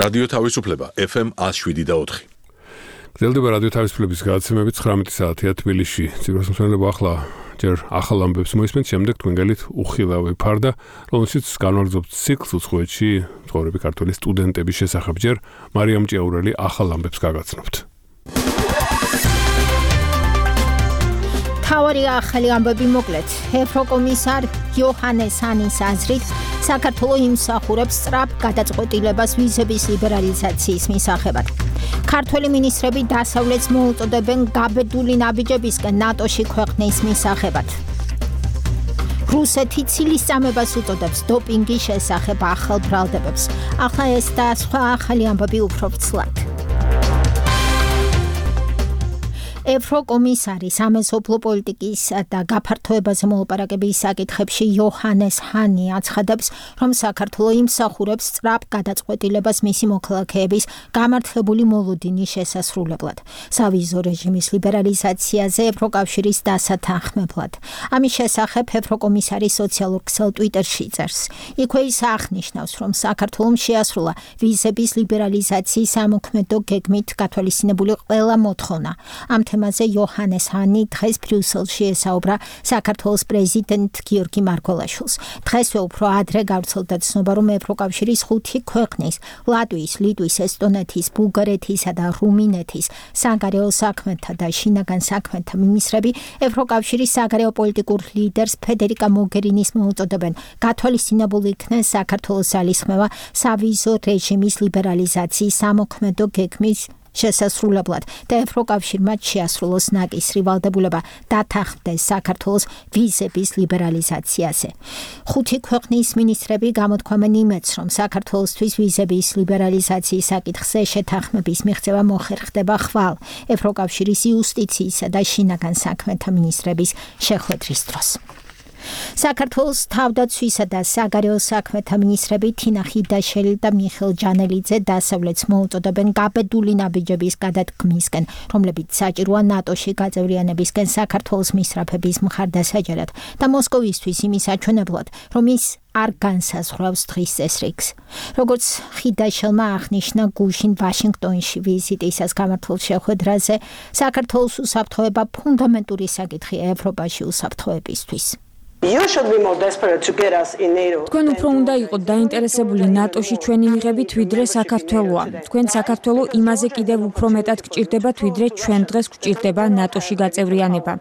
რადიო თავისუფლება FM 107.4. გრძელდება რადიო თავისუფლების გადაცემები 19 საათია თბილისში. ციფროს მსმენელობა ახლა ჯერ ახალ ამბებს მოისმენთ, შემდეგ თქვენ გელით უხილავი ფარდა, რომელშიც განვაგრძობთ ციკლს უცხოეთში მცხოვრები ქართველი სტუდენტების შესახებ. ჯერ მარიამ ჭიაურელი ახალ ამბებს გაგაცნობთ. თავარი ახალი ამბები მოკლედ. ევროკომისარ იოჰანეს ჰანის აზრით, საქართველო იმსახურებს სწრაფ გადაწყვეტილებას ვიზების ლიბერალიზაციის მისაღებად. ქართველი მინისტრები დასავლეთს მოუწოდებენ გაბედული ნაბიჯებისკენ ნატოში ქვეყნის მისაღებად. რუსეთი ცილისწამებას უწოდებს დოპინგის შესახებ ახალ ბრალდებებს. ახლა ეს და სხვა ახალი ამბები უფრო ვრცლად. ევროკომისარი სამეზობლო პოლიტიკის და გაფართოებაზე მოლაპარაკების საკითხებში იოჰანეს ჰანი აცხადებს, რომ საქართველო იმსახურებს სწრაფ გადაწყვეტილებას მისი მოქალაქეების გამართლებული მოლოდინის შესასრულებლად, სავიზო რეჟიმის ლიბერალიზაციაზე ევროკავშირის დასათანხმებლად. ამის შესახებ ევროკომისარი სოციალურ ქსელ ტვიტერში წერს. იქვე ის აღნიშნავს, რომ საქართველომ შეასრულა ვიზების ლიბერალიზაციის სამოქმედო გეგმით გათვალისწინებული ყველა მოთხოვნა. ამ თემაზე იოჰანეს ჰანი დღეს ბრიუსელში ესაუბრა საქართველოს პრეზიდენტ გიორგი მარგველაშვილს. დღესვე უფრო ადრე გავრცელდა ცნობა, რომ ევროკავშირის 5 ქვეყნის ლატვიის, ლიტვის, ესტონეთის, ბულგარეთისა და რუმინეთის საგარეო საქმეთა და შინაგან საქმეთა მინისტრები ევროკავშირის საგარეო პოლიტიკურ ლიდერს ფედერიკა მოგერინის მოუწოდებენ გათვალისწინებულ იქნეს საქართველოს ძალისხმევა სავიზო რეჟიმის ლიბერალიზაციის სამოქმედო გეგმის შესასრულებლად და ევროკავშირმა შეასრულოს ნაკისრი ვალდებულება დათანხმდეს საქართველოს ვიზების ლიბერალიზაციაზე. 5 ქვეყნის მინისტრები გამოთქვამენ იმედს, რომ საქართველოსთვის ვიზების ლიბერალიზაციის საკითხზე შეთანხმების მიღწევა მოხერხდება ხვალ ევროკავშირის იუსტიციისა და შინაგან საქმეთა მინისტრების შეხვედრის დროს. საქართველოს თავდაცვისა და საგარეო საქმეთა მინისტრები თინა ხიდაშელი და მიხეილ ჯანელიძე დასავლეთს მოუწოდებენ გაბედული ნაბიჯების გადადგმისკენ, რომლებიც საჭიროა ნატოში გაწევრიანებისკენ საქართველოს მისწრაფების მხარდასაჭერად და მოსკოვისთვის იმის აჩვენებლად, რომ ის არ განსაზღვრავს დღის წესრიგს. როგორც ხიდაშელმა აღნიშნა გუშინ ვაშინგტონში ვიზიტისას გამართულ შეხვედრაზე, საქართველოს უსაფრთხოება ფუნდამენტური საკითხია ევროპაში უსაფრთხოებისთვის. თქვენ უფრო უნდა იყოთ დაინტერესებული ნატოში ჩვენი მიღებით, ვიდრე საქართველოა. თქვენ საქართველო იმაზე კიდევ უფრო მეტად გჭირდებათ, ვიდრე ჩვენ დღეს გჭირდება ნატოში გაწევრიანება.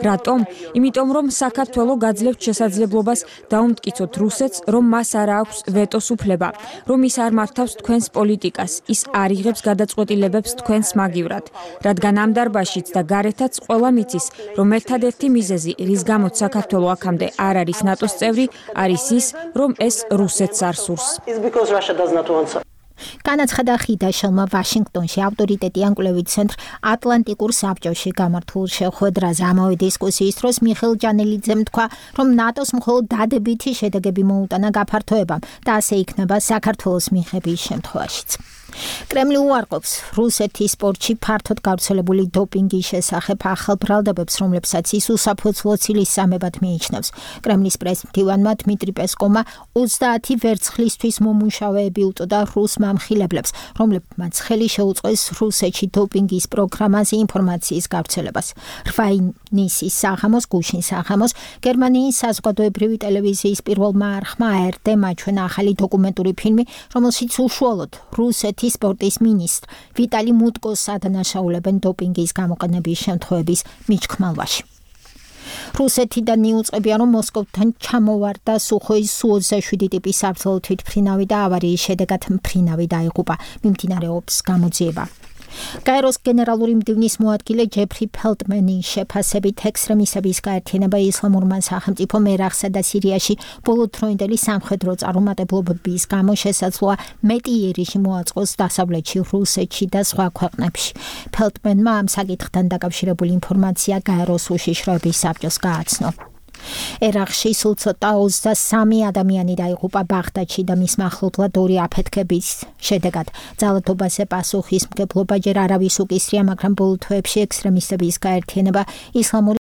რატომ? იმიტომ რომ საქართველო გაძლევთ შესაძლებლობას დაუმტკიცოთ რუსეთს, რომ მას არ აქვს ვეტოს უფლება, რომ ის არ მართავს თქვენს პოლიტიკას, ის არ იღებს გადაწყვეტილებებს თქვენს მაგივრად. რადგან ამ დარბაზშიც და გარეთაც ყველა მიცის, რომ ერთადერთი მიზეზი, რის გამოც საქართველო აქამდე არ არის ნატოს წევრი, არის ის, რომ ეს რუსეთს არ სურს. განაცხადა ხიდაშელმა ვაშინგტონში ავტორიტეტიან კვლევით ცენტრ ატლანტიკურ საბჭოში გამართულ შეხვედრაზე. ამავე დისკუსიის დროს მიხეილ ჯანელიძემ თქვა, რომ ნატოს მხოლოდ დადებითი შედეგები მოუტანა გაფართოებამ და ასე იქნება საქართველოს მიღების შემთხვევაშიც. კრემლი უარყოფს რუსეთის სპორტში ფართოდ გავრცელებული დოპინგის შესახებ ახალ ბრალდებებს, რომლებსაც ის უსაფუძვლო ცილისწამებად მიიჩნევს. კრემლის პრესმდივანმა დმიტრი პესკოვმა 20 ვერცხლისთვის მომუშავეები უწოდა რუს მამხილებლებს, რომლებმაც ხელი შეუწყეს რუსეთში დოპინგის პროგრამაზე ინფორმაციის გავრცელებას. რვაინისის საღამოს, გუშინ საღამოს, გერმანიის საზოგადოებრივი ტელევიზიის პირველმა არხმა ARD-მ აჩვენა ახალი დოკუმენტური ფილმი, რომელშიც უშუალოდ რუსეთის სპორტის მინისტრ ვიტალი მუტკოს ადანაშაულებენ დოპინგის გამოყენების შემთხვევების მიჩქმალვაში. რუსეთიდან იუწყებია, რომ მოსკოვთან ჩამოვარდა სუხოის Su-27 ტიპის საბრძოლო თვითმფრინავი და ავარიის შედეგად მფრინავი დაიღუპა. მიმდინარეობს გამოძიება. გაეროს გენერალური მდივნის მოადგილე ჯეფრი ფელტმენის შეფასებით ექსტრემისტების გაერთიანება ისლამურმა სახელმწიფომ ერაყსა და სირიაში ბოლოდროინდელი სამხედრო წარუმატებლობების გამო შესაძლოა მეტი იერიში მოაწყოს დასავლეთში, რუსეთში და სხვა ქვეყნებში. ფელტმენმა ამ საკითხთან დაკავშირებული ინფორმაცია გაეროს უშიშროების საბჭოს გააცნო. ერაყში სულ ცოტა 23 ადამიანი დაიღუპა ბაღდადში და მის მახლობლად 2 აფეთქების შედეგად. ძალადობაზე პასუხისმგებლობა ჯერ არავის უკისრია, მაგრამ ბოლო თვეებში ექსტრემისტების გაერთიანება ისლამური